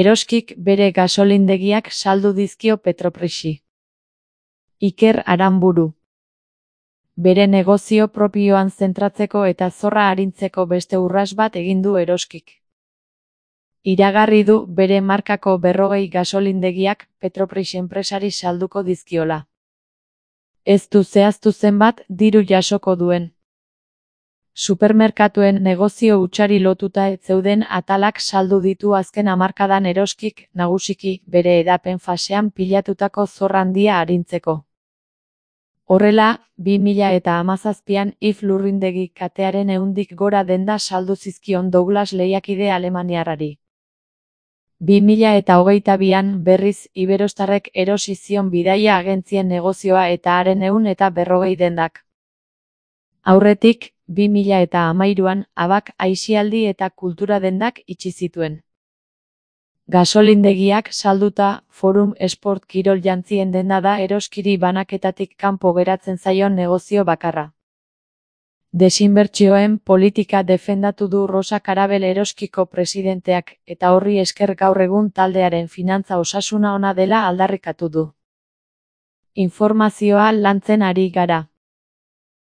Eroskik bere gasolindegiak saldu dizkio Petroprixi. Iker Aranburu. Bere negozio propioan zentratzeko eta zorra arintzeko beste urrats bat egin du Eroskik. Iragarri du bere markako 40 gasolindegiak Petroprix enpresari salduko dizkiola. Ez du zehaztu zenbat diru jasoko duen. Supermerkatuen negozio hutsari lotuta ez zeuden atalak saldu ditu azken hamarkadan Eroskik, nagusiki bere hedapen fasean pilatutako zorra handia arintzeko. Horrela, 2017an IF lurrindegi katearen 100tik gora denda saldu zizkion Douglas lehiakide alemaniarrari. 2022an berriz Iberostarrek erosi zion bidaia agentzien negozioa eta haren 140 dendak. Aurretik, 2013an Abak aisialdi eta kultura dendak itxi zituen. Gasolindegiak salduta, Forum Sport kirol jantzien denda da Eroskiri banaketatik kanpo geratzen zaion negozio bakarra. Desinbertsioen politika defendatu du Rosa Karabel Eroskiko presidenteak, eta horri esker gaur egun taldearen finantza osasuna ona dela aldarrikatu du. Informazioa lantzen ari gara.